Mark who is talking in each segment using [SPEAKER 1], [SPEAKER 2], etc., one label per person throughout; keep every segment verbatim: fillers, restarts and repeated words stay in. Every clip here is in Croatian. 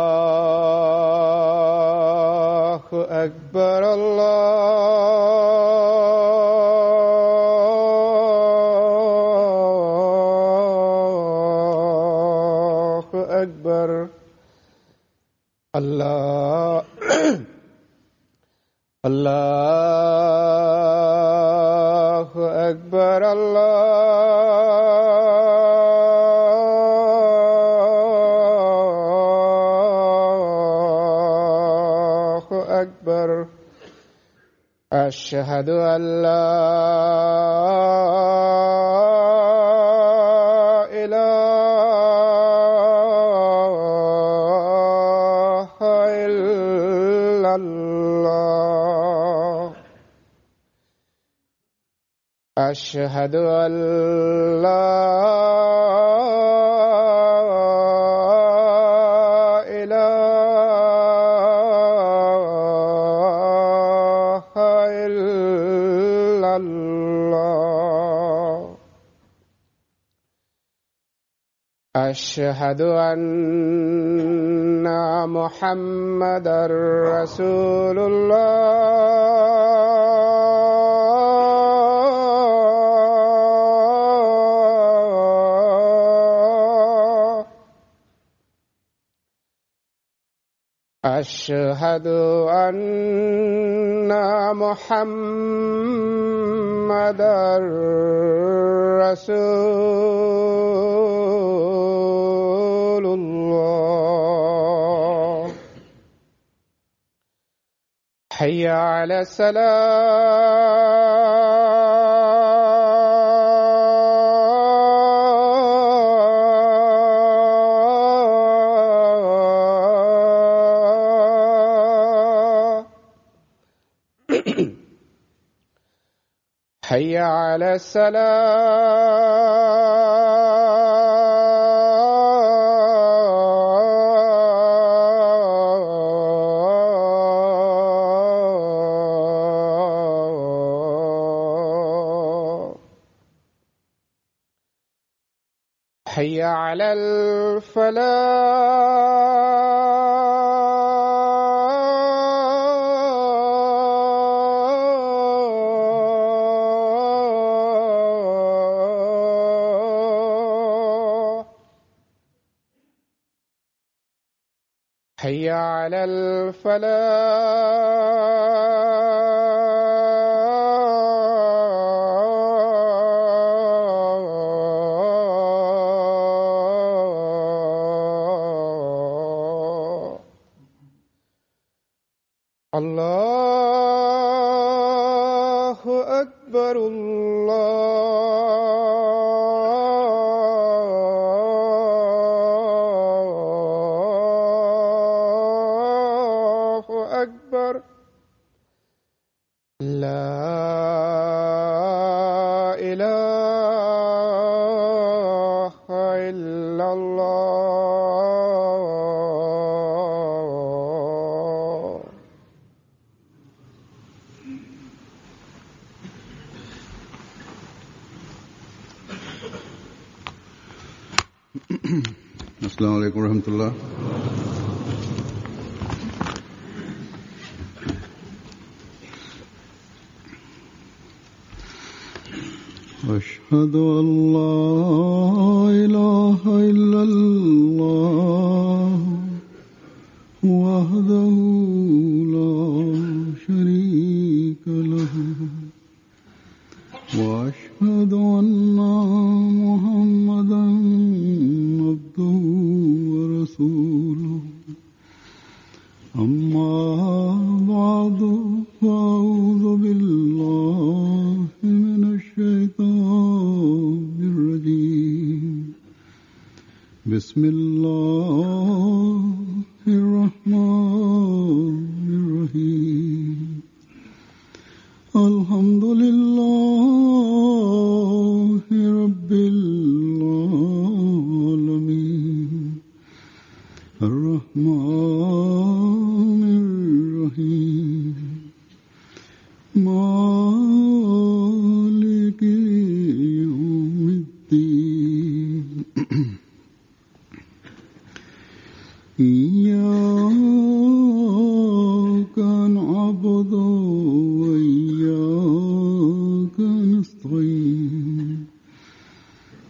[SPEAKER 1] Allahu Akbar, Allahu Akbar, Allah, Allahu Akbar, أشهد أن لا إله إلا الله أشهد أن لا أشهد أن محمدًا رسول الله أشهد أن محمدًا رسول الله حي على الصلاة حي على الصلاة حي على الفلاح حي على الفلاح الله أكبر الله أكبر لا إله إلا الله
[SPEAKER 2] अस्सलामु अलैकुम रहमतुल्लाह। अशहदु अल्ला इलाहा इल्लल्लाह वहदहु ला शरीका लहु व अशहदु अन्ना मुहम्मदन अब्दुहु व रसूलुहु अम्मा बअदु फ़अऊज़ु बिल्लाहि मिनश शैतानिर रजीम बिस्मिल्लाहिर रहमानिर रहीम अल्हम्दुलिल्लाहि रब्बिल आलमीन الرحمن الرحيم مالك يوم الدين إياك نعبد وإياك نستعين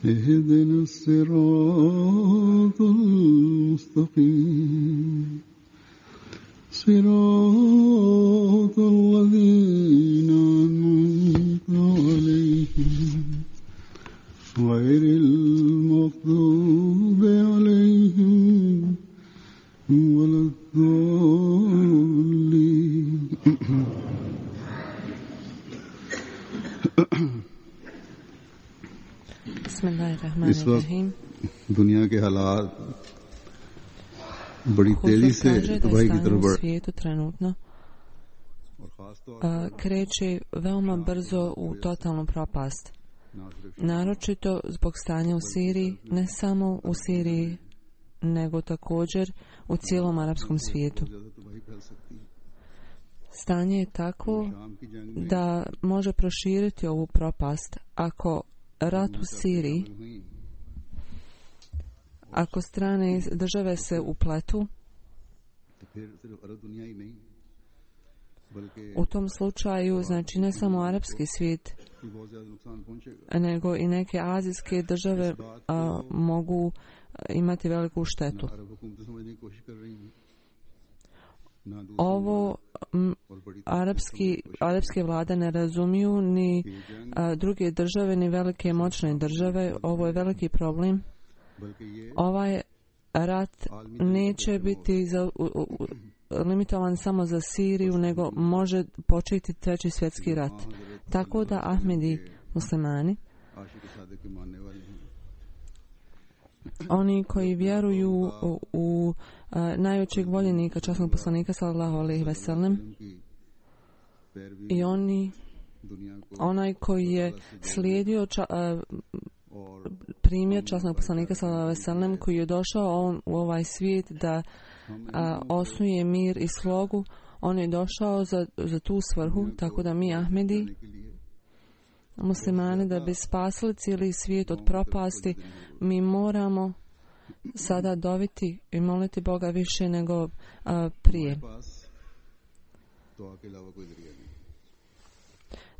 [SPEAKER 2] اهدنا الصراط المستقيم صراط الذين أنعمت عليهم غير المغضوب عليهم ولا الضالين
[SPEAKER 3] Bismillahirrahmanirrahim.
[SPEAKER 2] दुनिया के हालात बड़ी तेजी से तबाही की तरफ बढ़
[SPEAKER 3] svijetu trenutno a, kreće veoma brzo u totalnu propast. Naročito zbog stanja u Siriji, ne samo u Siriji, nego također u cijelom arapskom svijetu. Stanje je tako da može proširiti ovu propast ako rat u Siriji, ako strane države se upletu, u tom slučaju, znači ne samo arapski svijet, nego i neke azijske države a, mogu imati veliku štetu. Ovo m, arapski, arapske vlade ne razumiju ni a, druge države, ni velike moćne države. Ovo je veliki problem. Ovaj rat neće biti za, u, u, limitovan samo za Siriju, nego može početi treći svjetski rat. Tako da Ahmedi muslimani, oni koji vjeruju u, u a, najvećeg voljenika, časnog poslanika sallallahu alejhi ve sellem, i oni, onaj koji je slijedio ča, a, primjer časnog poslanika sallallahu alejhi ve sellem, koji je došao on, u ovaj svijet da a, osnuje mir i slogu, on je došao za, za tu svrhu, tako da mi Ahmedi muslimani, da bi spasili cijeli svijet od propasti, mi moramo sada doviti i moliti Boga više nego a, prije.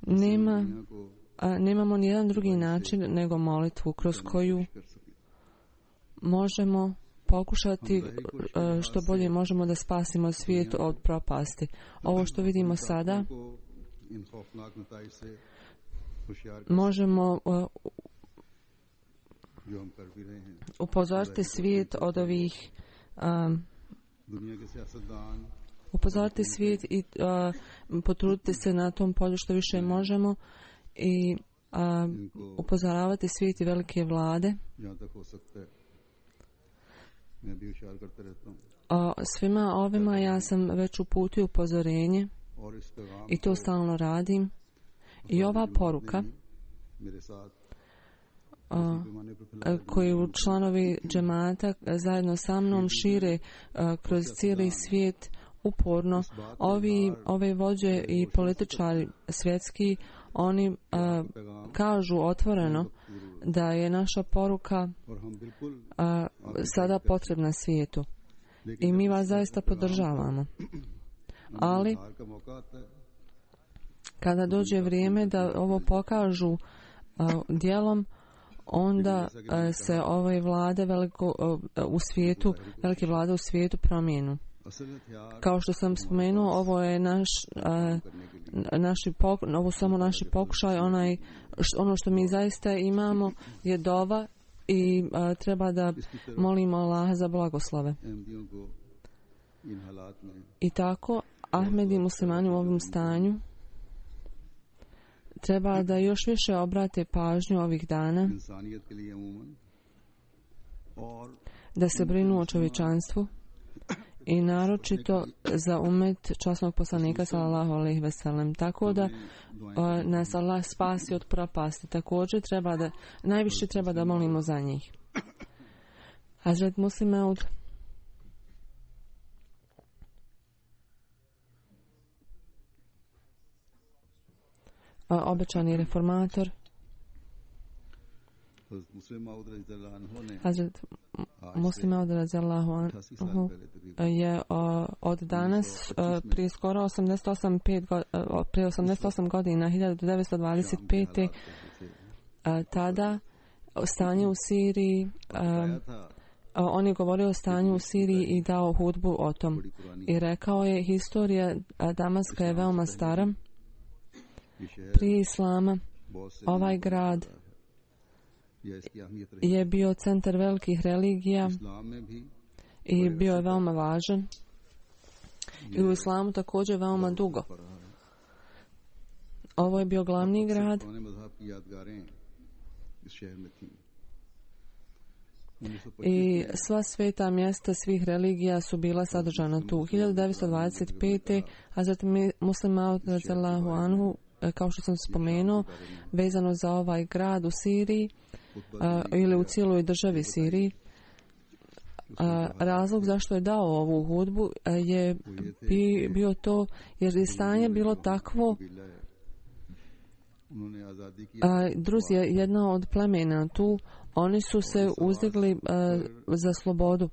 [SPEAKER 3] Nema, a, nemamo nijedan drugi način nego molitvu kroz koju možemo pokušati a, što bolje možemo da spasimo svijet od propasti. Ovo što vidimo sada, možemo uh, upozoriti svijet od ovih um, upozoriti svijet i uh, potruditi se na tom polju što više možemo i uh, upozoravati svijet i velike vlade. O svima ovima ja sam već uputio upozorenje i to stalno radim. I ova poruka o, koju članovi džemata zajedno sa mnom šire o, kroz cijeli svijet uporno, ovi, ove vođe i političari svjetski, oni a, kažu otvoreno da je naša poruka a, sada potrebna svijetu. I mi vas zaista podržavamo. Ali kada dođe vrijeme da ovo pokažu uh, djelom, onda uh, se ove vlade veliko, uh, u svijetu, velike vlade u svijetu promijenu. Kao što sam spomenuo, ovo je naš, uh, naši pok, ovo samo naši pokušaj, onaj, š, ono što mi zaista imamo je dova i uh, treba da molimo Allaha za blagoslove. I tako, Ahmedi muslimani u ovom stanju treba da još više obrate pažnju ovih dana, da se brinu o čovječanstvu i naročito za umet časnog poslanika sallallahu alejhi ve sellem, tako da uh, nas Allah spasi od propasti. Također treba da, najviše treba da molimo za njih. Hazret Muslim Maud obećani reformator. Hazret Muslim Maud radijallahu anhu je uh, od danas uh, prije skoro osamdeset osam, pet go, uh, prije osamdeset osam godina hiljadu devetsto dvadeset pete uh, tada stanje u Siriji uh, on je govorio o stanju u Siriji i dao hudbu o tom i rekao je historija Damaska je veoma stara. Prije Islama ovaj grad je bio centar velikih religija i bio je veoma važan i u Islamu također veoma dugo. Ovo je bio glavni grad i sva sveta mjesta svih religija su bila sadržana tu. hiljadu devetsto dvadeset pete. Hazret Muslim Maud radijallahu anhu, kao što sam spomenuo, vezano za ovaj grad u Siriji a, ili u cijeloj državi Siriji, a, razlog zašto je dao ovu hudbu a, je bi, bio to jer je stanje bilo takvo. A, Druz je jedna od plemena tu, oni su se uzdigli a, za slobodu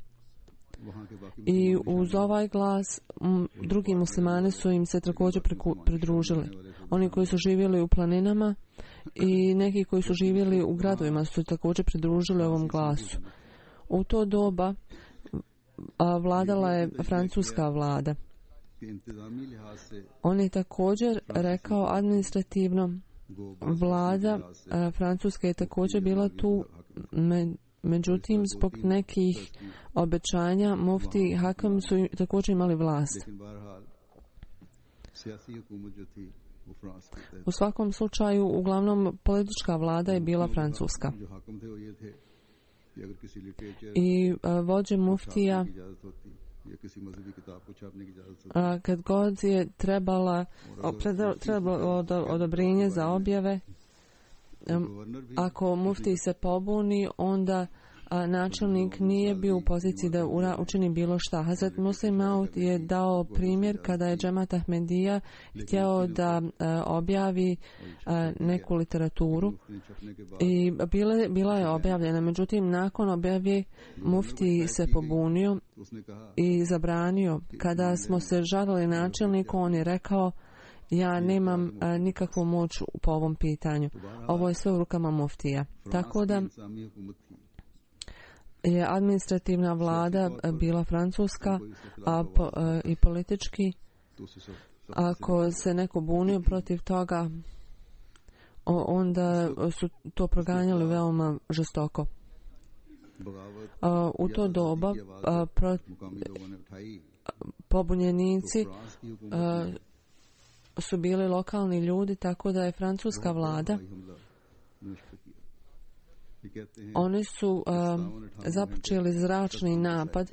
[SPEAKER 3] i uz ovaj glas m, drugi muslimani su im se također pridružili. Oni koji su živjeli u planinama i neki koji su živjeli u gradovima su također pridružili ovom glasu. U to doba a, vladala je francuska vlada. On je također rekao administrativno vlada a, francuska je također bila tu, me, međutim zbog nekih obećanja mufti i hakam su također imali vlast. U svakom slučaju, uglavnom politička vlada je bila francuska. I a, vođe muftija a, kad god je trebala trebalo od, odobrenje za objave, a, ako mufti se pobuni, onda a, načelnik nije bio u poziciji da ura, učini bilo šta. Hazret Muslim Maud je dao primjer kada je Džemat Ahmedija htjeo da a, objavi a, neku literaturu i bile, bila je objavljena. Međutim, nakon objave mufti se pobunio i zabranio. Kada smo se žalili načelniku, on je rekao: ja nemam a, nikakvu moć po ovom pitanju. Ovo je sve u rukama muftija. Tako da je administrativna vlada bila francuska, a po, a, i politički ako se neko bunio protiv toga, onda su to proganjali veoma žestoko. A, u to doba a, pro, pobunjenici a, su bili lokalni ljudi, tako da je francuska vlada, oni su a, započeli zračni napad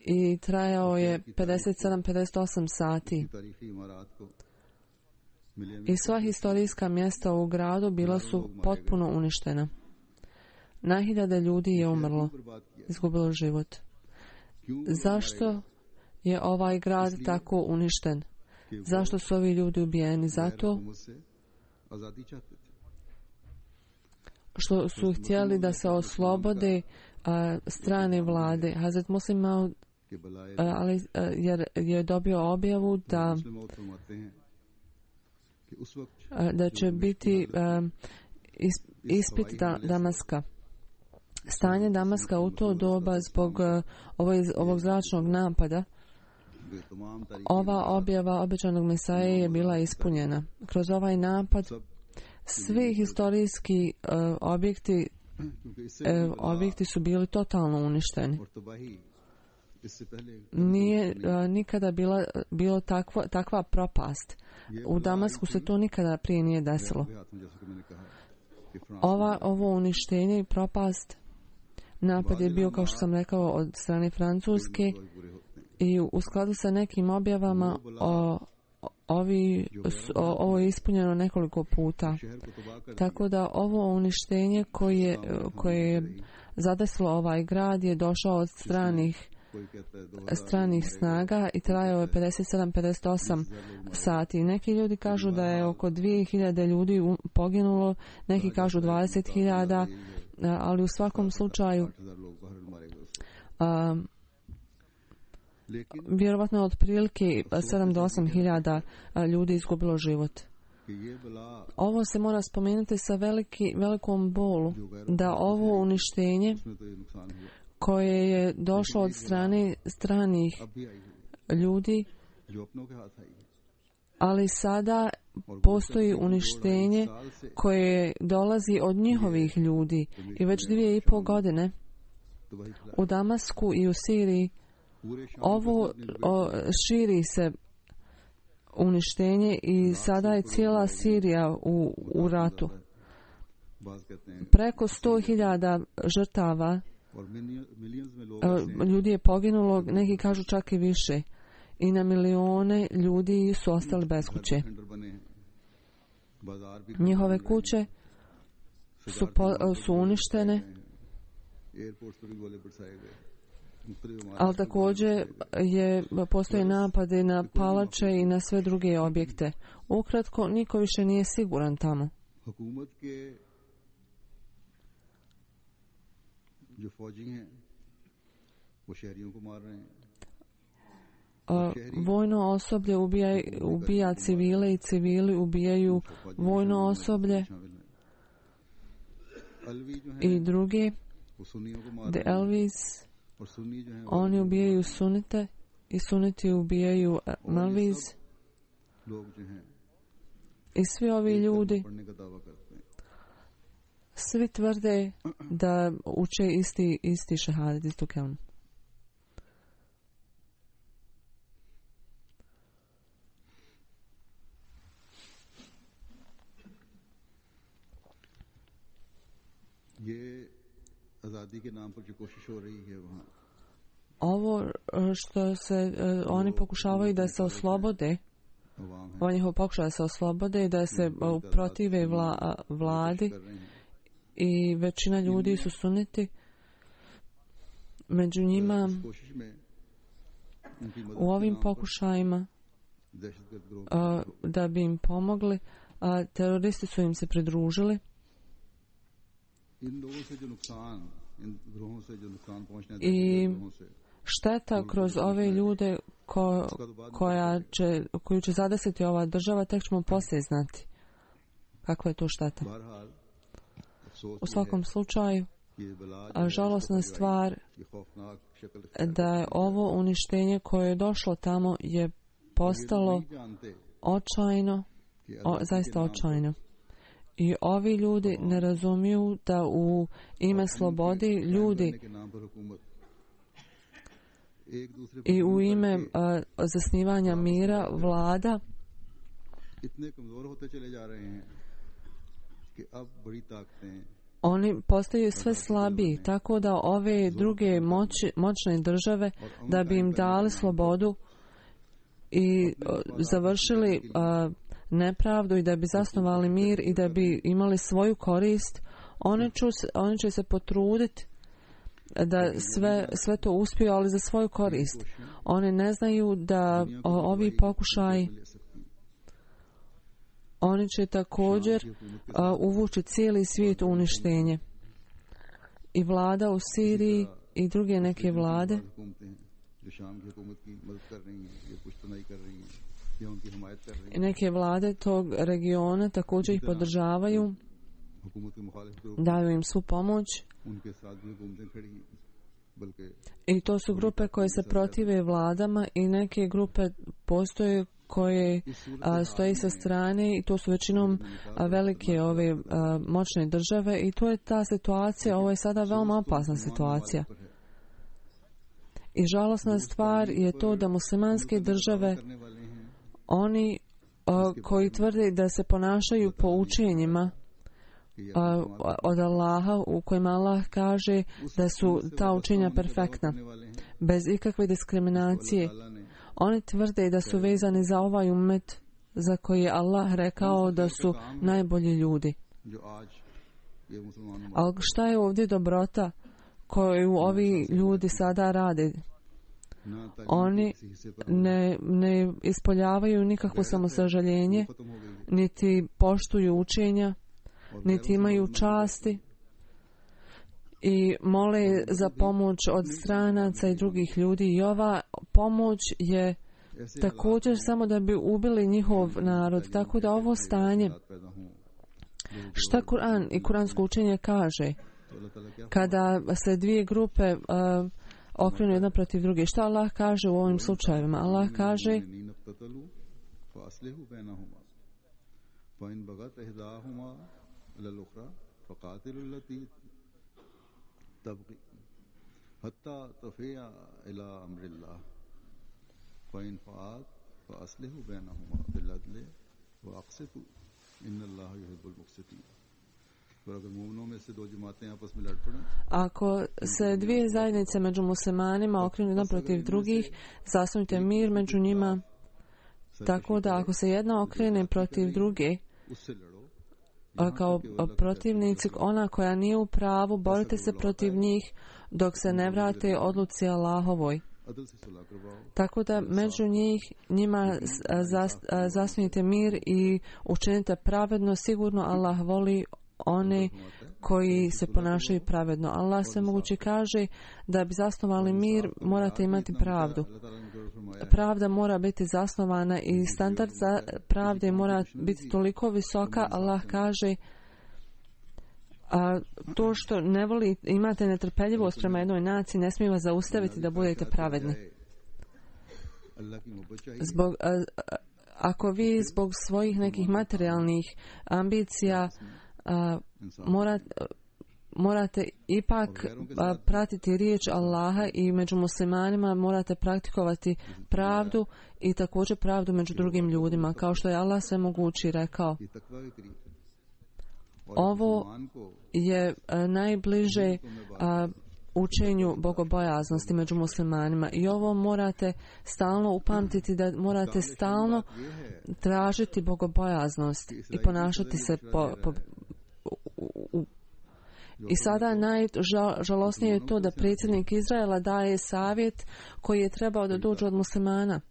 [SPEAKER 3] i trajao je pedeset sedam do pedeset osam sati. I sva historijska mjesta u gradu bila su potpuno uništena. Na hiljade ljudi je umrlo, izgubilo život. Zašto je ovaj grad tako uništen? Zašto su ovi ljudi ubijeni? Zato što su htjeli da se oslobode a, strane vlade. Hazret Muslim Maud ali jer je dobio objavu da a, da će biti a, ispit da, Damaska. Stanje Damaska u to doba zbog a, ovog, ovog zračnog napada, ova objava obećanog Mesaje je bila ispunjena. Kroz ovaj napad svi historijski uh, objekti uh, objekti su bili totalno uništeni. Nije uh, nikada bila bilo takva, takva propast. U Damasku se to nikada prije nije desilo. Ova, ovo uništenje i propast, napad je bio, kao što sam rekao, od strane Francuske i u skladu sa nekim objavama o Ovi, o, ovo je ispunjeno nekoliko puta. Tako da ovo uništenje koje, koje je zadesilo ovaj grad je došao od stranih stranih snaga i trajao je pedeset sedam do pedeset osam sati. Neki ljudi kažu da je oko dvije hiljade ljudi poginulo, neki kažu dvadeset hiljada, ali u svakom slučaju a, vjerovatno je otprilike sedam do osam hiljada ljudi izgubilo život. Ovo se mora spomenuti sa veliki, velikom bolu, da ovo uništenje koje je došlo od strane stranih ljudi, ali sada postoji uništenje koje dolazi od njihovih ljudi i već dvije i pol godine u Damasku i u Siriji ovo o, širi se uništenje i sada je cijela Sirija u, u ratu. Preko sto hiljada žrtava ljudi je poginulo, neki kažu čak i više. I na milione ljudi su ostali bez kuće. Njihove kuće su, po, su uništene, ali također je, postoje napade na palače i na sve druge objekte. Ukratko, niko više nije siguran tamo. Uh, vojno osoblje ubija, ubija civile i civili ubijaju vojno osoblje i drugi The Elvis, oni ubijaju sunite i suniti ubijaju Malvis i svi ovi ljudi svi tvrde da uče isti, isti šehadet, istu kelmu. Ovo što se uh, oni pokušavaju da se oslobode, oni ho pokušaju da se oslobode, da se uh, protive vla, vladi i većina ljudi su suniti. Među njima u ovim pokušajima uh, da bi im pomogli, uh, teroristi su im se pridružili. I šteta kroz ove ljude ko, koja će, koju će zadesiti ova država, tek ćemo poslije znati kakva je to šteta. U svakom slučaju, žalosna stvar da je ovo uništenje koje je došlo tamo je postalo očajno, o, zaista očajno. I ovi ljudi ne razumiju da u ime slobodi ljudi i u ime uh, zasnivanja mira vlada oni postaju sve slabiji, tako da ove druge moći, moćne države da bi im dali slobodu i uh, završili uh, nepravdu i da bi zasnovali mir i da bi imali svoju korist, oni, ču, oni će se potruditi da sve, sve to uspiju, ali za svoju korist. Oni ne znaju da o, ovi pokušaji oni će također uh, uvući cijeli svijet u uništenje. I vlada u Siriji i druge neke vlade i neke vlade tog regiona također ih podržavaju, daju im svu pomoć. I to su grupe koje se protive vladama i neke grupe postoje koje a, stoji sa strane i to su većinom a, velike ove a, moćne države i to je ta situacija. Ovo je sada veoma opasna situacija. I žalosna stvar je to da muslimanske države, oni a, koji tvrde da se ponašaju po učenjima a, od Allaha, u kojima Allah kaže da su ta učenja perfektna, bez ikakve diskriminacije. Oni tvrde da su vezani za ovaj ummet za koji je Allah rekao da su najbolji ljudi. Ali šta je ovdje dobrota koju ovi ljudi sada rade? Oni ne, ne ispoljavaju nikakvo samosažaljenje, niti poštuju učenja, niti imaju časti i mole za pomoć od stranaca i drugih ljudi. I ova pomoć je također samo da bi ubili njihov narod. Tako da ovo stanje, šta Kur'an i kuransko učenje kaže kada se dvije grupe uh, okrenu jedna protiv druge? Šta Allah kaže u ovim slučajevima? Allah kaže ako se dvije zajednice među muslimanima okrenu jedna protiv drugih, zasnujte mir među njima, tako da ako se jedna okrene protiv druge kao protivnici, ona koja nije u pravu, borite se protiv njih dok se ne vrate odluci Allahovoj. Tako da među njih njima zas, zasnujte mir i učinite pravedno. Sigurno Allah voli one koji se ponašaju pravedno. Allah svemogući kaže da bi zasnovali mir morate imati pravdu. Pravda mora biti zasnovana i standard za pravde mora biti toliko visoka. Allah kaže a to što ne voli, imate netrpeljivost prema jednoj naciji, ne smije vas zaustaviti da budete pravedni. Zbog, a, a, ako vi zbog svojih nekih materijalnih ambicija a, morate, morate ipak a, pratiti riječ Allaha i među muslimanima morate praktikovati pravdu i također pravdu među drugim ljudima, kao što je Allah svemogući rekao. Ovo je a, najbliže a, učenju bogobojaznosti među muslimanima i ovo morate stalno upamtiti, da morate stalno tražiti bogobojaznost i ponašati se po, po, u, u. I sada najžalosnije je to da predsjednik Izraela daje savjet koji je trebao da dođe od muslimana.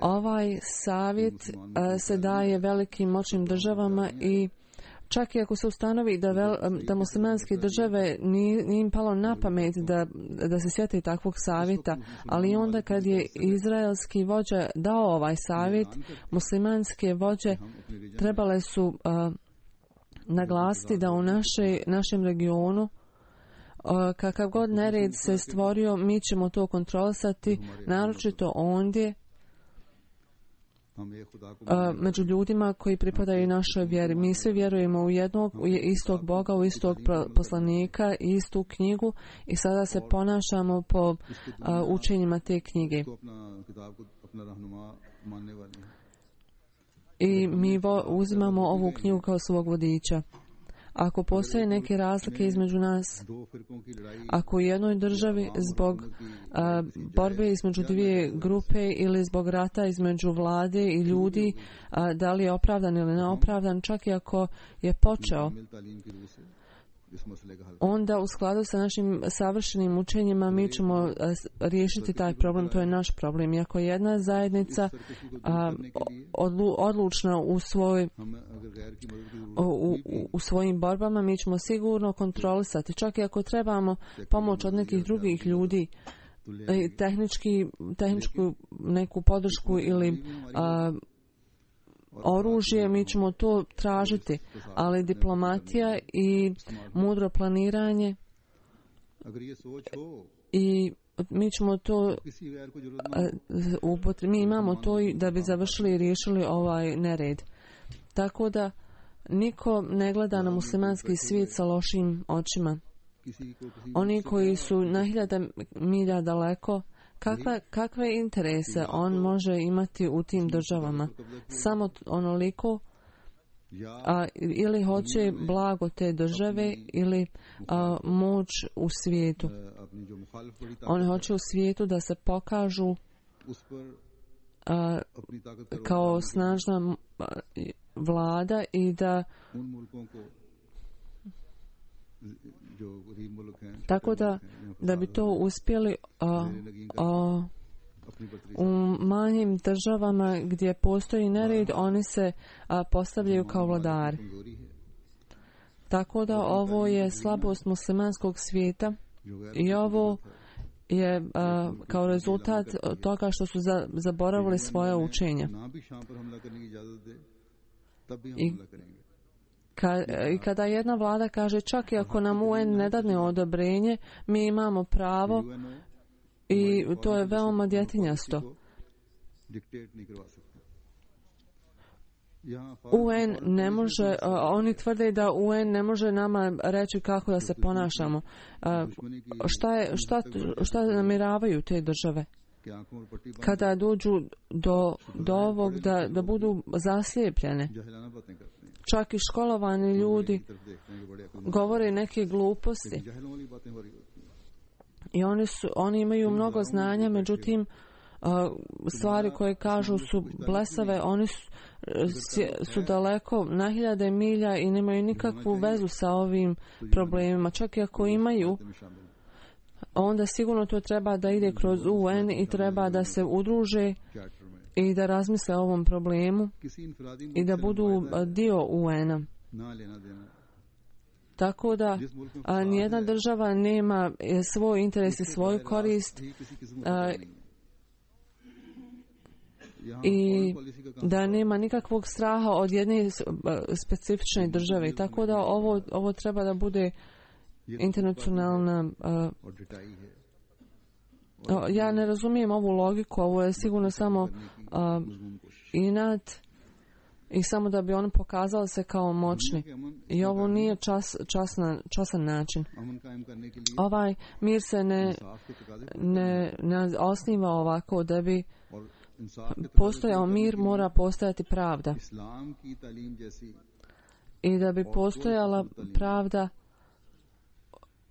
[SPEAKER 3] Ovaj savjet a, se daje velikim moćnim državama i čak i ako se ustanovi da, vel, da muslimanske države nije, nije im palo na pamet da, da se sjeti takvog savjeta, ali onda kad je izraelski vođa dao ovaj savjet, muslimanske vođe trebale su uh, naglasiti da u naše, našem regionu uh, kakav god nered se stvorio, mi ćemo to kontrolisati, naročito ondje među ljudima koji pripadaju našoj vjeri. Mi svi vjerujemo u jednog, u istog Boga, u istog poslanika i istu knjigu i sada se ponašamo po uh, učenjima te knjige. I mi vo, uzimamo ovu knjigu kao svog vodiča. Ako postoje neke razlike između nas, ako u jednoj državi zbog a, borbe između dvije grupe ili zbog rata između vlade i ljudi, a, da li je opravdan ili neopravdan, čak i ako je počeo, onda u skladu sa našim savršenim učenjima mi ćemo a, riješiti taj problem, to je naš problem. I ako je jedna zajednica a, odlu, odlučna u svoj U, u, u svojim borbama, mi ćemo sigurno kontrolisati. Čak i ako trebamo pomoć od nekih drugih ljudi, tehnički, tehničku neku podršku ili a, oružje, mi ćemo to tražiti. Ali diplomatija i mudro planiranje i mi ćemo to a, mi imamo to da bi završili i riješili ovaj nered. Tako da niko ne gleda na muslimanski svijet sa lošim očima. Oni koji su na hiljada milja daleko, kakve, kakve interese on može imati u tim državama? Samo onoliko a, ili hoće blago te države ili a, moć u svijetu. On hoće u svijetu da se pokažu a, kao snažna vlada i da Tako da, da bi to uspjeli a, a, u manjim državama gdje postoji nered, oni se a, postavljaju kao vladari. Tako da ovo je slabost muslimanskog svijeta i ovo je a, kao rezultat toga što su za, zaboravili svoja učenja. I, ka, I kada jedna vlada kaže čak i ako nam U N ne dadne odobrenje, mi imamo pravo, i to je veoma djetinjasto. U N ne može, oni tvrde da U N ne može nama reći kako da se ponašamo. Šta, je, šta, šta namjeravaju te države? Kada dođu do, do ovog da, da budu zaslijepljene. Čak i školovani ljudi govore neke gluposti. I oni, su, oni imaju mnogo znanja, međutim, stvari koje kažu su blesave, oni su, su daleko na hiljade milja i nemaju nikakvu vezu sa ovim problemima. Čak i ako imaju, onda sigurno to treba da ide kroz U N i treba da se udruže i da razmisle o ovom problemu i da budu dio U N-a. Tako da a, nijedna država nema svoj interes i svoju korist a, i da nema nikakvog straha od jedne specifične države. Tako da ovo, ovo treba da bude internacionalna... A, a, ja ne razumijem ovu logiku, ovo je sigurno samo a, inat i samo da bi oni pokazali se kao moćni. I ovo nije čas, časna, časan način. Ovaj mir se ne, ne, ne osniva ovako. Da bi postojao mir, mora postojati pravda. I da bi postojala pravda,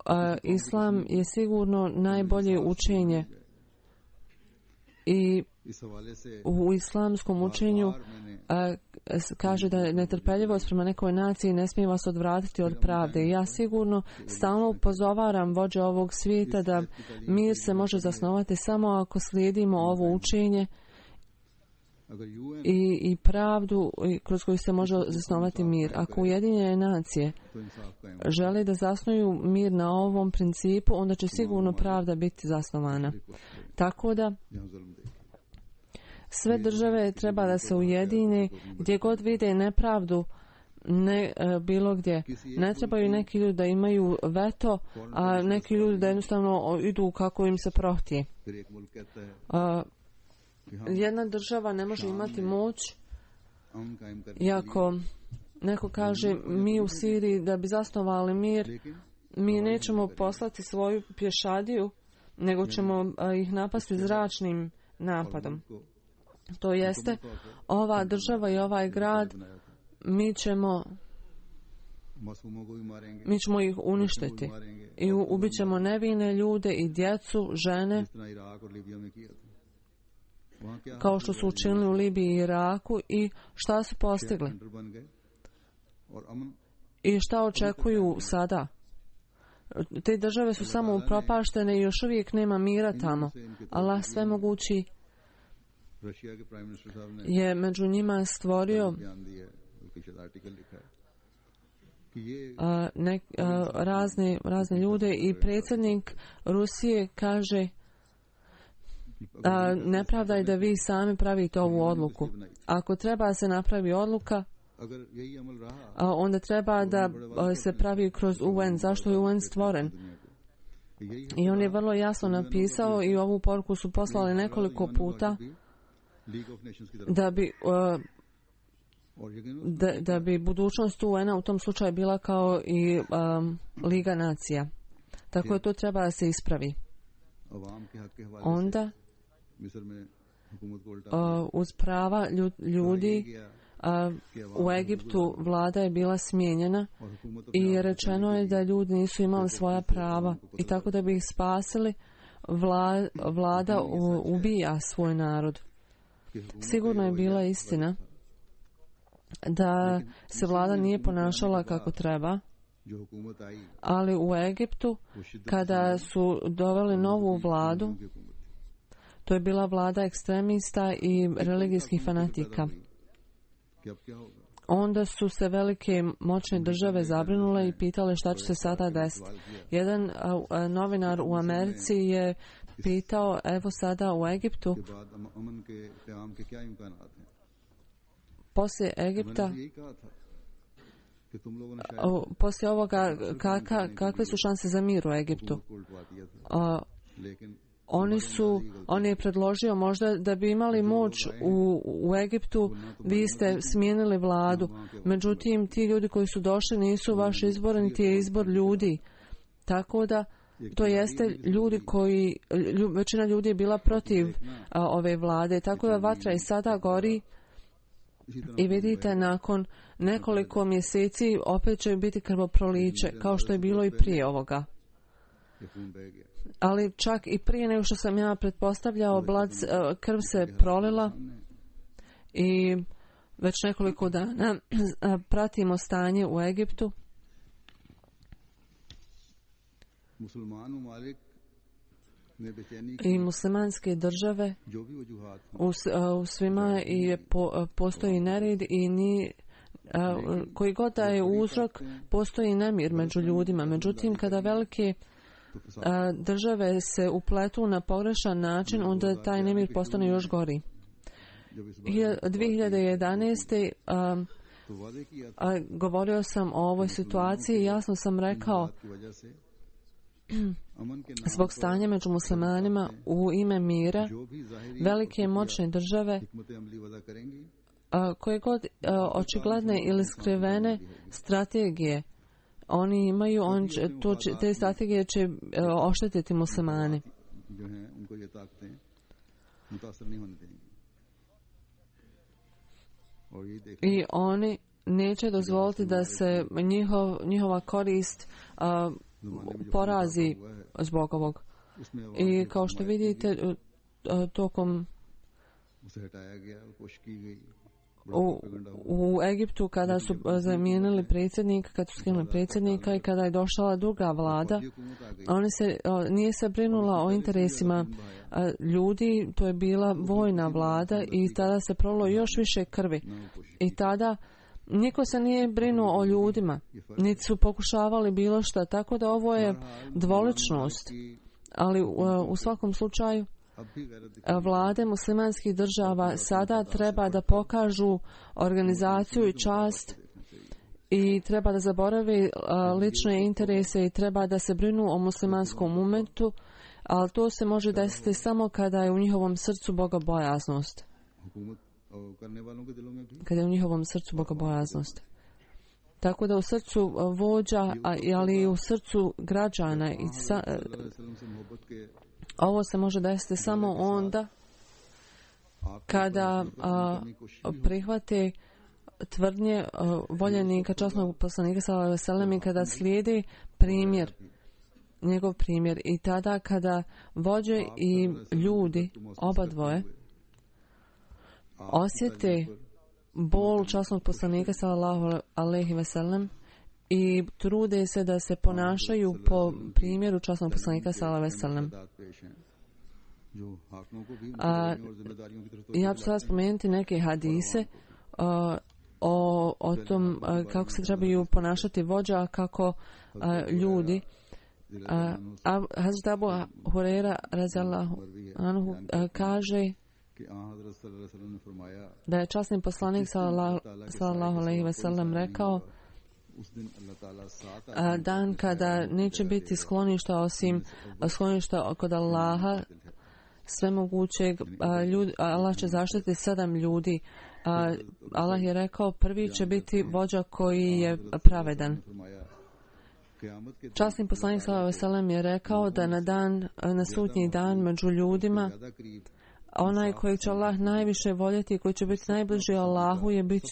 [SPEAKER 3] a, Islam je sigurno najbolje učenje. I u islamskom učenju a, kaže da je netrpeljivost prema nekoj naciji ne smije vas odvratiti od pravde. I ja sigurno stalno upozoravam vođe ovog svijeta da mir se može zasnovati samo ako slijedimo ovo učenje i, i pravdu kroz koju se može zasnovati mir. Ako Ujedinjene nacije žele da zasnuju mir na ovom principu, onda će sigurno pravda biti zasnovana. Tako da sve države treba da se ujedine gdje god vide nepravdu, ne e, bilo gdje. Ne trebaju neki ljudi da imaju veto, a neki ljudi da jednostavno idu kako im se prohtije. A, jedna država ne može imati moć, iako neko kaže mi u Siriji da bi zasnovali mir, mi nećemo poslati svoju pješadiju, nego ćemo a, ih napasti zračnim napadom. To jeste, ova država i ovaj grad, mi ćemo, mi ćemo ih uništiti i ubit ćemo nevine ljude i djecu, žene, kao što su učinili u Libiji i Iraku. I šta su postigli? I šta očekuju sada? Te države su samo upropaštene i još uvijek nema mira tamo. Allah svemogući je među njima stvorio a, ne, a, razne, razne ljude i predsjednik Rusije kaže a, nepravda je da vi sami pravite ovu odluku. Ako treba se napravi odluka, a, onda treba da a, se pravi kroz U N. Zašto je U N stvoren? I on je vrlo jasno napisao i ovu poruku su poslali nekoliko puta da bi uh, da, da bi budućnost U N-a u tom slučaju bila kao i um, Liga nacija. Tako je to treba da se ispravi. Onda uh, uz prava ljudi uh, u Egiptu vlada je bila smijenjena i rečeno je da ljudi nisu imali svoja prava i tako da bi ih spasili vla, vlada u, ubija svoj narod. Sigurno je bila istina da se vlada nije ponašala kako treba Ali u Egiptu, kada su doveli novu vladu, to je bila vlada ekstremista i religijskih fanatika. Onda su se velike moćne države zabrinule i pitale šta će se sada desiti. Jedan a, a, novinar u Americi je pitao, evo sada u Egiptu, poslije Egipta, a, poslije ovoga, kaka, kakve su šanse za mir u Egiptu? A, Oni su, on je predložio možda da bi imali moć u, u Egiptu, vi ste smijenili vladu. Međutim, ti ljudi koji su došli nisu vaš izbor, niti je izbor ljudi. Tako da, to jeste ljudi koji, lju, većina ljudi je bila protiv a, ove vlade. Tako da vatra i sada gori i vidite, nakon nekoliko mjeseci opet će biti krvoproliće, kao što je bilo i prije ovoga. Ali čak i prije nego što sam ja pretpostavljao, blad, krv se prolila i već nekoliko dana pratimo stanje u Egiptu. I muslimanske države u, u svima je po, postoji nered i ni koji god da je uzrok, postoji nemir među ljudima. Međutim, kada velike države se upletu na pogrešan način, onda taj nemir postane još gori. dvije hiljade jedanaeste. A, a, govorio sam o ovoj situaciji i jasno sam rekao zbog stanja među muslimanima u ime mira, velike moćne države a, koje god a, očigledne ili skrivene strategije oni imaju, on će, to će, te strategije će uh, oštetiti muslimane. I oni neće dozvoliti da se njihov, njihova korist uh, porazi zbog ovog. I kao što vidite, uh, tokom U, u Egiptu kada su zamijenili predsjednika, kada su skinuli predsjednika i kada je došla druga vlada, oni se, nije se brinula o interesima ljudi, to je bila vojna vlada i tada se prolilo još više krvi. I tada niko se nije brinuo o ljudima, niti su pokušavali bilo šta, tako da ovo je dvoličnost. Ali u, u svakom slučaju vlade muslimanskih država sada treba da pokažu organizaciju i čast i treba da zaborave lične interese i treba da se brinu o muslimanskom umetu, ali to se može desiti samo kada je u njihovom srcu bogobojaznost. Kada je u njihovom srcu bogobojaznost. Tako da u srcu vođa, ali i u srcu građana i sa, ovo se može desiti samo onda kada a, prihvate tvrdnje a, voljenika, časnog poslanika sallallahu alejhi ve sellem i kada slijedi primjer, njegov primjer i tada kada vođe i ljudi, oba dvoje, osjete bol časnog poslanika sallallahu alejhi ve sellem i trude se da se ponašaju po primjeru časnog poslanika sallallahu alejhi ve sellem. A, ja ću sada spomenuti neke hadise a, o, o tom a, kako se trebaju ponašati vođa, kako a, ljudi. A, a, Hazrat Abu Hurajra radijallahu anhu a, kaže da je časni poslanik sallallahu alejhi ve sellem rekao dan kada neće biti skloništa osim skloništa kod Allaha svemogućeg, ljudi, Allah će zaštiti sedam ljudi. Allah je rekao prvi će biti vođa koji je pravedan. Časni poslanik sallallahu alejhi ve sellem je rekao da na dan, na sudnji dan među ljudima onaj koji će Allah najviše voljeti i koji će biti najbliži Allahu je bit,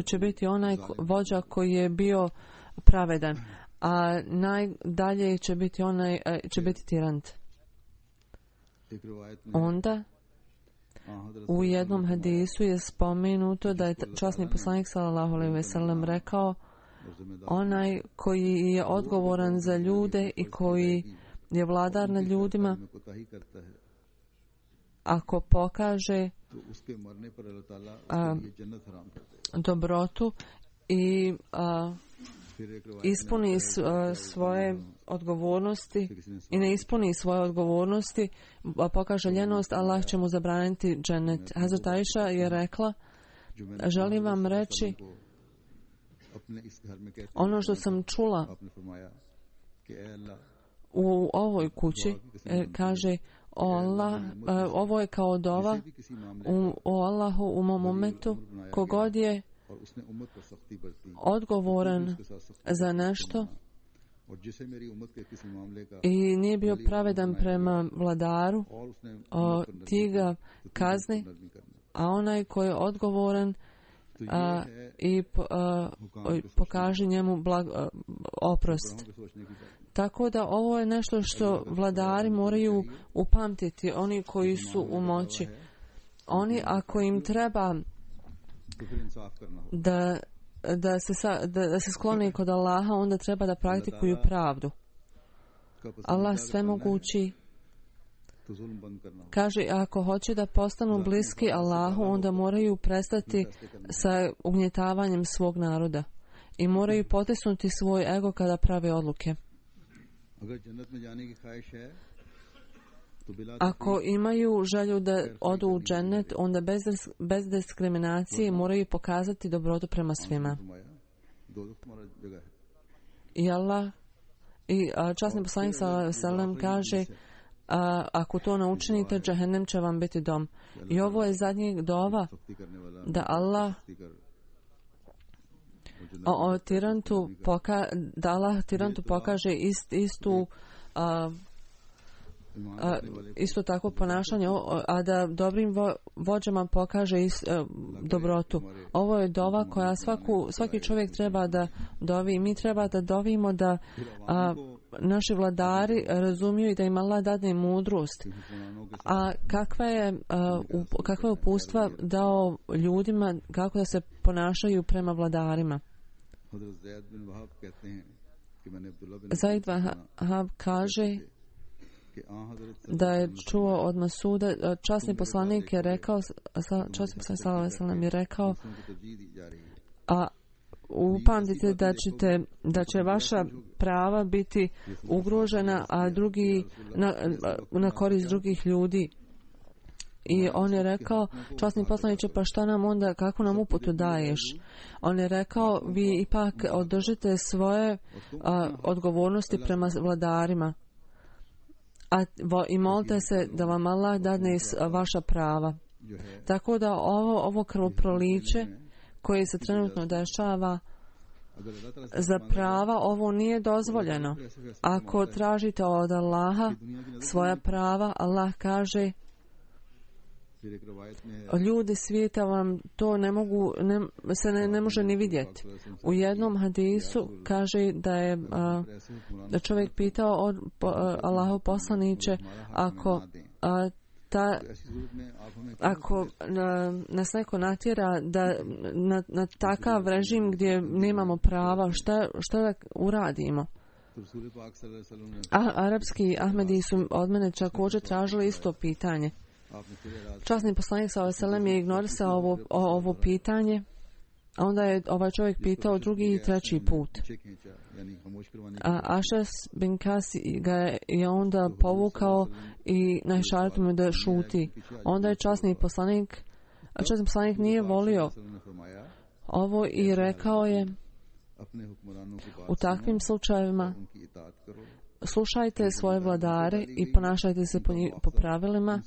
[SPEAKER 3] će biti onaj vođa koji je bio pravedan, a najdalje će biti onaj će biti tirant. Onda u jednom hadisu je spomenuto da je časni poslanik sallallahu alejhi ve sellem rekao onaj koji je odgovoran za ljude i koji je vladar nad ljudima, ako pokaže a, dobrotu i a, ispuni s, a, svoje odgovornosti i ne ispuni svoje odgovornosti, a pokaže ljenost, Allah će mu zabraniti džennet. Hazrat Aisha je rekla, želim vam reći ono što sam čula u ovoj kući, kaže, o Allah, ovo je kao dova, u, o Allahu u mom umetu, kogod je odgovoran za nešto i nije bio pravedan prema vladaru, o, ti ga kazni, a onaj koji je odgovoran a, i a, pokaži njemu blag, a, oprost. Tako da ovo je nešto što vladari moraju upamtiti, oni koji su u moći. Oni, ako im treba da, da, se, sa, da, da se sklone kod Allaha, onda treba da praktikuju pravdu. Allah svemogući kaže, ako hoće da postanu bliski Allahu, onda moraju prestati sa ugnjetavanjem svog naroda i moraju potisnuti svoj ego kada prave odluke. Ako imaju želju da odu u džennet, onda bez, bez diskriminacije moraju pokazati dobrotu prema svima. I Allah, i časni poslanik sallallahu alejhi ve sellem kaže, a, ako to ne učinite, džehennem će vam biti dom. I ovo je zadnji dova da Allah o, o tirantu poka, da Allah tirantu pokaže ist, istu a, a, isto takvo ponašanje, a da dobrim vo, vođama pokaže ist, a, dobrotu. Ovo je dova koja svaku, svaki čovjek treba da dovi. Mi treba da dovimo da a, naši vladari razumiju i da im Allah dadne mudrost. A kakva je, a, up, kakva je upustva dao ljudima kako da se ponašaju prema vladarima. Zaid Vahab kaže da je čuo od Masuda, časni poslanik je rekao, časni poslanik sallallahu alejhi ve sellem je rekao, a upamtite da ćete, da će vaša prava biti ugrožena, a drugi na, na korist drugih ljudi. I on je rekao, časni poslaniče, pa šta nam onda, kako nam uputu daješ? On je rekao, vi ipak održite svoje a, odgovornosti prema vladarima. A, vo, I molite se da vam Allah dadne vaša prava. Tako da ovo, ovo krvoproliće koje se trenutno dešava za prava, ovo nije dozvoljeno. Ako tražite od Allaha svoja prava, Allah kaže, ljudi svijeta vam to ne mogu, ne, se ne, ne može ni vidjeti. U jednom hadisu kaže da je a, da čovjek pitao od a, Allahu poslaniće, ako a, ta ako a, nas neko natjera da na, na takav režim gdje nemamo prava, šta, šta da uradimo? A, arapski Ahmedi su od mene također tražili isto pitanje. Časni poslanik sallallahu alejhi ve sellem je ignorisao ovo, ovo pitanje, a onda je ovaj čovjek pitao drugi i treći put. A Ašas bin Kasi ga je onda povukao i našaretio mu da šuti. Onda je časni poslanik, a časni poslanik nije volio ovo i rekao je, u takvim slučajevima slušajte svoje vladare i ponašajte se po, po pravilima.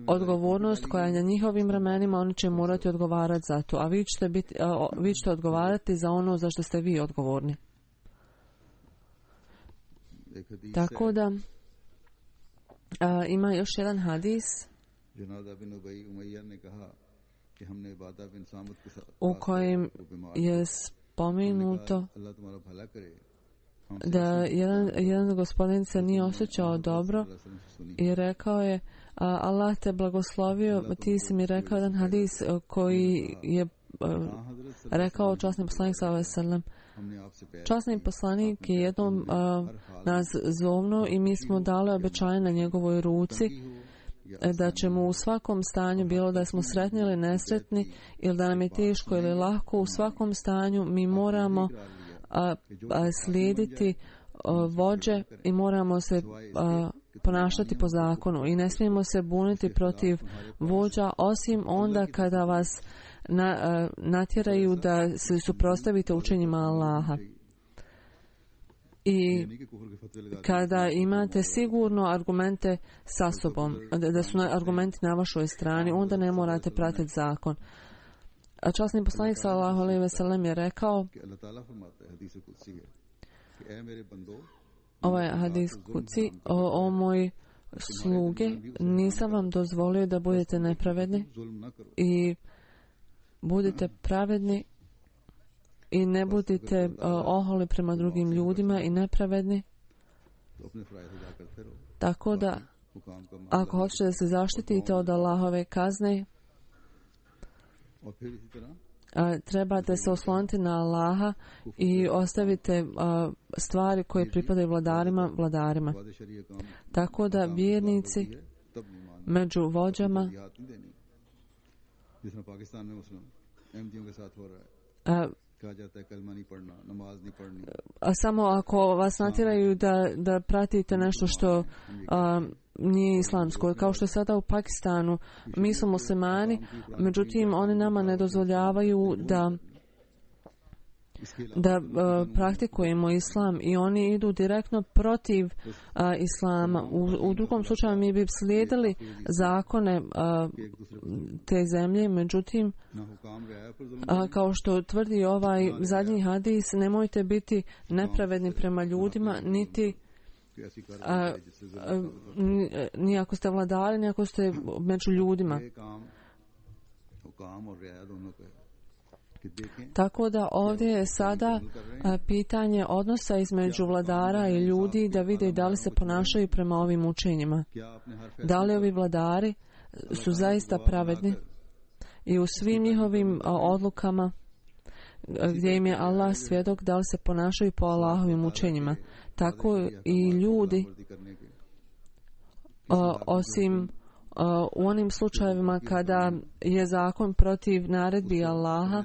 [SPEAKER 3] Odgovornost koja je na njihovim vremenima, oni će morati odgovarati za to, a vi ćete, biti, a, vi ćete odgovarati za ono za što ste vi odgovorni. Tako da a, ima još jedan hadis u kojem je spomenuto da jedan, jedan gospodin se nije osjećao dobro i rekao je, a, Allah te blagoslovio, ti si mi rekao jedan hadis koji je rekao časni poslanik sallallahu alejhi ve sellem. Časni poslanik je jednom uh, nas zovnuo i mi smo dali obećanje na njegovoj ruci da ćemo u svakom stanju, bilo da smo sretni ili nesretni, ili da nam je teško ili lako, u svakom stanju mi moramo uh, uh, slijediti uh, vođe i moramo se uh, ponašati po zakonu i ne smijemo se buniti protiv vođa, osim onda kada vas na, uh, natjeraju da se suprotstavite učenjima Allaha. I kada imate sigurno argumente sa sobom, da su argumenti na vašoj strani, onda ne morate pratiti zakon. A časni poslanik sallallahu alejhi ve sellem je rekao, ovaj hadis kuci, o, o moj sluge, nisam vam dozvolio da budete nepravedni i budite pravedni i ne budite uh, oholi prema drugim ljudima i nepravedni. Tako da, ako hoćete da se zaštitite od Allahove kazne, uh, trebate se osloniti na Allaha i ostavite uh, stvari koje pripadaju vladarima, vladarima. Tako da vjernici među vođama uh, a samo ako vas natjeraju da, da pratite nešto što a, nije islamsko, kao što je sada u Pakistanu, mi smo muslimani, međutim oni nama ne dozvoljavaju da da a, praktikujemo islam i oni idu direktno protiv a, islama. U, u drugom slučaju mi bi slijedili zakone a, te zemlje, međutim a, kao što tvrdi ovaj zadnji hadis, nemojte biti nepravedni prema ljudima, niti a, a, ni ako ste vladari, ni ako ste među ljudima. Tako da ovdje je sada a, pitanje odnosa između vladara i ljudi, da vide da li se ponašaju prema ovim učenjima. Da li ovi vladari su zaista pravedni i u svim njihovim a, odlukama gdje im je Allah svjedok, da li se ponašaju po Allahovim učenjima. Tako i ljudi, a, osim u onim slučajevima kada je zakon protiv naredbi Allaha,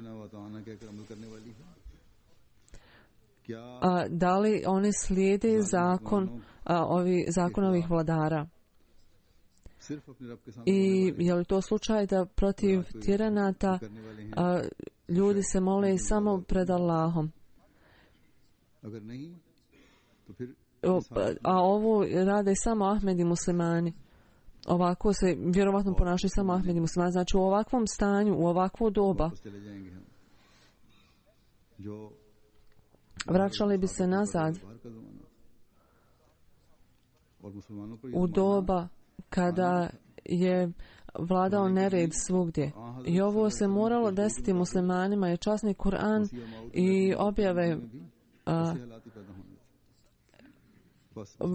[SPEAKER 3] a, da li oni slijede zakon a, ovi, zakon ovih vladara. I je li to slučaj da protiv tiranata a, ljudi se mole samo pred Allahom? O, a ovo rade samo Ahmed i muslimani. Ovako se vjerovatno ponašaju samo Ahmed i muslimani. Znači u ovakvom stanju, u ovakvo doba, vraćali bi se nazad u doba kada je vladao nered svugdje. I ovo se moralo desiti muslimanima, je časni Kur'an i objave a,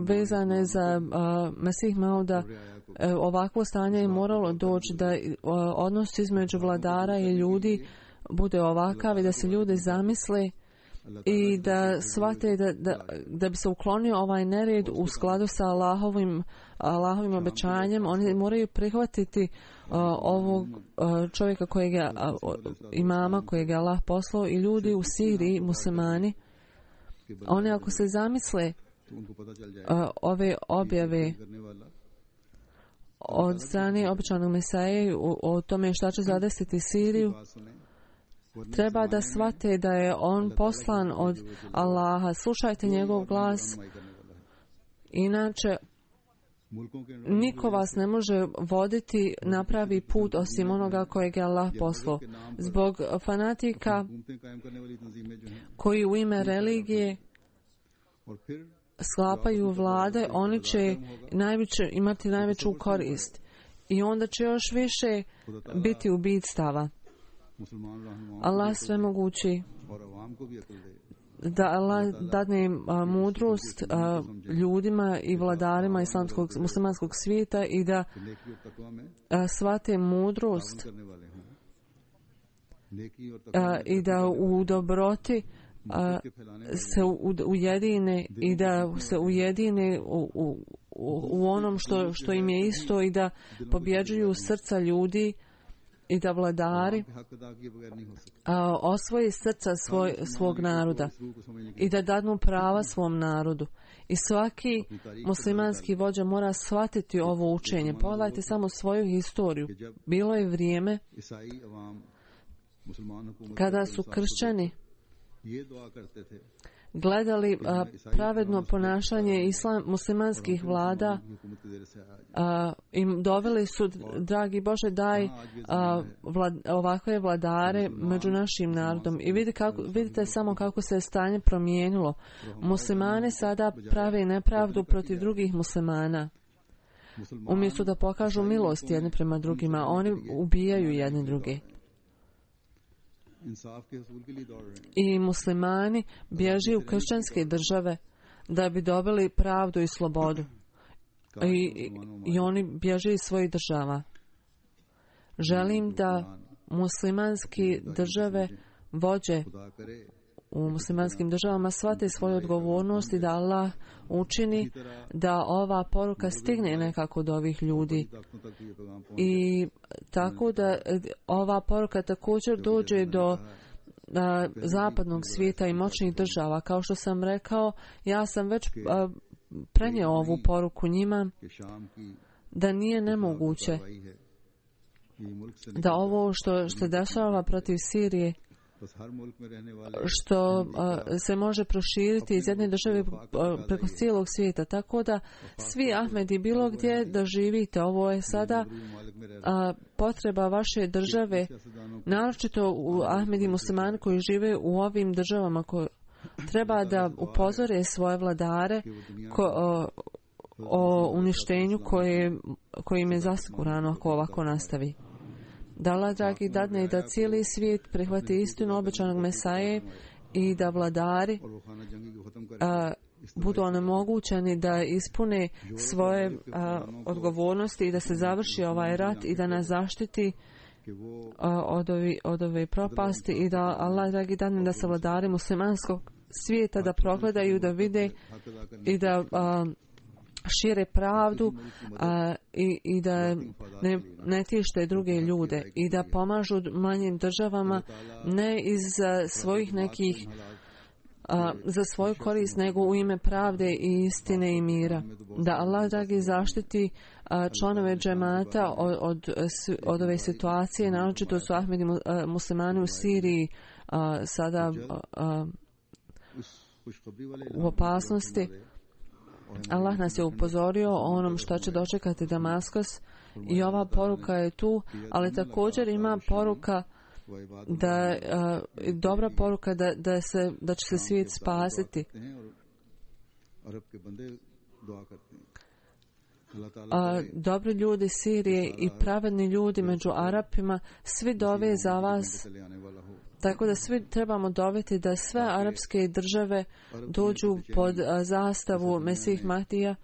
[SPEAKER 3] vezane za uh, Mesih Mauda, uh, ovakvo stanje je moralo doći da uh, odnos između vladara i ljudi bude ovakav i da se ljudi zamisle i da shvate da, da, da bi se uklonio ovaj nered u skladu sa Allahovim, Allahovim obećanjem. Oni moraju prihvatiti uh, ovog uh, čovjeka kojeg je, uh, imama kojeg je Allah poslao, i ljudi u Siriji, muslimani, oni ako se zamisle Uh, ove objave od strane običanog Mesaje o, o tome šta će zadesiti Siriju, treba da shvate da je on poslan od Allaha. Slušajte njegov glas, inače niko vas ne može voditi na pravi put osim onoga kojeg je Allah poslao. Zbog fanatika koji u ime religije sklapaju vlade, oni će najveće, imati najveću korist i onda će još više biti ubijstava. Allah svemogući, da Allah dadne a, mudrost a, ljudima i vladarima islamskog, muslimanskog svijeta i da a, shvate mudrost a, i da u dobroti a, se u, ujedine i da se ujedine u, u, u onom što, što im je isto i da pobjeđuju srca ljudi i da vladari a, osvoji srca svoj, svog naroda i da dadnu prava svom narodu. I svaki muslimanski vođa mora shvatiti ovo učenje. Pogledajte samo svoju historiju. Bilo je vrijeme kada su kršćani gledali a, pravedno ponašanje islam, muslimanskih vlada a, im doveli su, dragi Bože, daj a, vlad, ovakve vladare među našim narodom. I vidite, kako, vidite samo kako se je stanje promijenilo. Muslimani sada prave nepravdu protiv drugih muslimana. Umjesto da pokažu milost jedni prema drugima, oni ubijaju jedni druge. I muslimani bježi u kršćanske države da bi dobili pravdu i slobodu. I, i, i oni bježe iz svojih država. Želim da muslimanske države vođe u muslimanskim državama shvate svoju odgovornost i da Allah učini da ova poruka stigne nekako do ovih ljudi. I tako da ova poruka također dođe do a, zapadnog svijeta i moćnih država. Kao što sam rekao, ja sam već a, prenio ovu poruku njima da nije nemoguće da ovo što, što dešava protiv Sirije, što uh, se može proširiti iz jedne države uh, preko cijelog svijeta. Tako da svi Ahmedi bilo gdje da živite, ovo je sada uh, potreba vaše države, naročito u Ahmedi muslimani koji žive u ovim državama, koji treba da upozore svoje vladare ko, o, o uništenju koje, koje im je zasigurano ako ovako nastavi. Da Allah, dragi, dadne i da cijeli svijet prihvati istinu obećanog Mesaje i da vladari a, budu onemogućeni da ispune svoje a, odgovornosti i da se završi ovaj rat i da nas zaštiti a, od, ovi, od ove propasti i da Allah, dragi, dadne da se vladari muslimanskog svijeta da progledaju, da vide i da a, šire pravdu a, i, i da ne, ne tište druge ljude i da pomažu manjim državama ne iz a, svojih nekih a, za svoju korist, nego u ime pravde i istine i mira. Da Allah, dragi, zaštiti a, članove džemata od, od, od ove situacije, naročito su Ahmedi muslimani u Siriji a, sada a, a, u opasnosti. Allah nas je upozorio o onom što će dočekati Damaskus i ova poruka je tu, ali također ima poruka da uh, dobra poruka da, da, se, da će se svijet spasiti. A, dobri ljudi Sirije i pravedni ljudi među Arapima svi dove za vas. Tako da svi trebamo doveti da sve arapske države dođu pod a, zastavu Mesih Mahdija,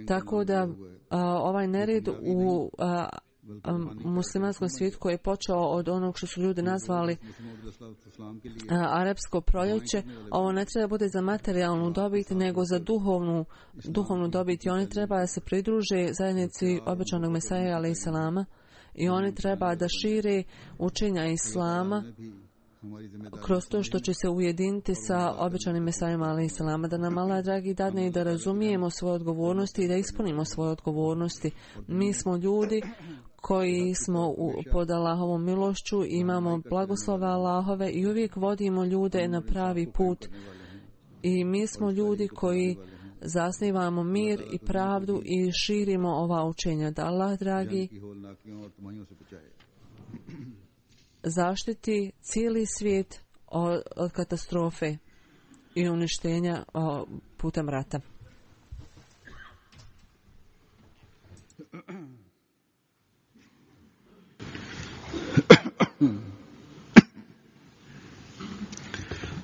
[SPEAKER 3] tako da a, ovaj nered u a, a, muslimanskom svijetu koji je počeo od onog što su ljudi nazvali a, arapsko proljeće, ovo ne treba bude za materijalnu dobit, nego za duhovnu, duhovnu dobit. I oni treba da se pridruže zajednici obećanog Mesaja alejhi selama i oni treba da šire učenja Islama kroz to što će se ujediniti sa obećanim Mesajom alejhi selama. Da nam Allah, dragi, dadne i da razumijemo svoje odgovornosti i da ispunimo svoje odgovornosti. Mi smo ljudi koji smo u, pod Allahovom milošću, imamo blagoslove Allahove i uvijek vodimo ljude na pravi put. I mi smo ljudi koji zasnivamo mir i pravdu i širimo ova učenja. Da Allah, dragi, zaštiti cijeli svijet od, od katastrofe i uništenja o, putem rata.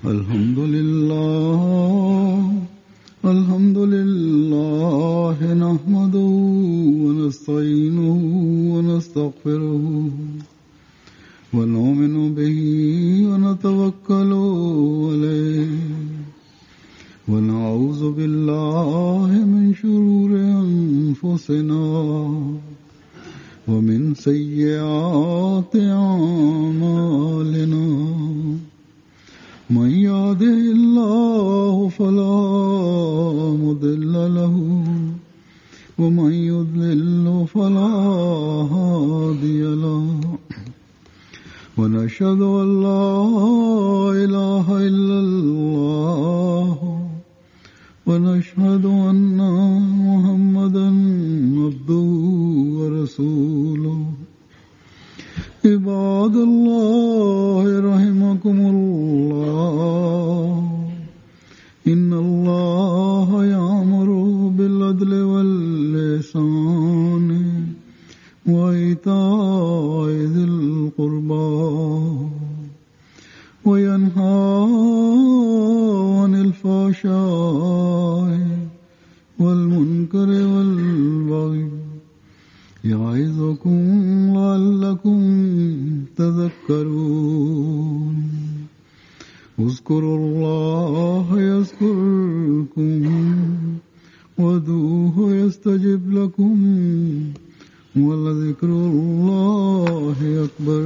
[SPEAKER 2] Alhamdulillah, alhamdulillah, nahmaduhu wa nasta'inuhu wa nastaghfiruhu wa nu'minu bihi أنفسنا ومن سيئات أعمالنا من يهده الله فلا مضل له ومن يضلل فلا هادي له ونشهد أن لا إله إلا الله ونشهد أن محمدا عبده ورسوله عباد الله رحمكم الله إن الله يأمر بالعدل والإحسان وإيتاء ذي القربى وينهى عن الفحشاء والمنكر والبغي يعظكم لعلكم تذكرون اذكروا الله يذكركم وادعوه يستجب لكم ولذكر الله أكبر.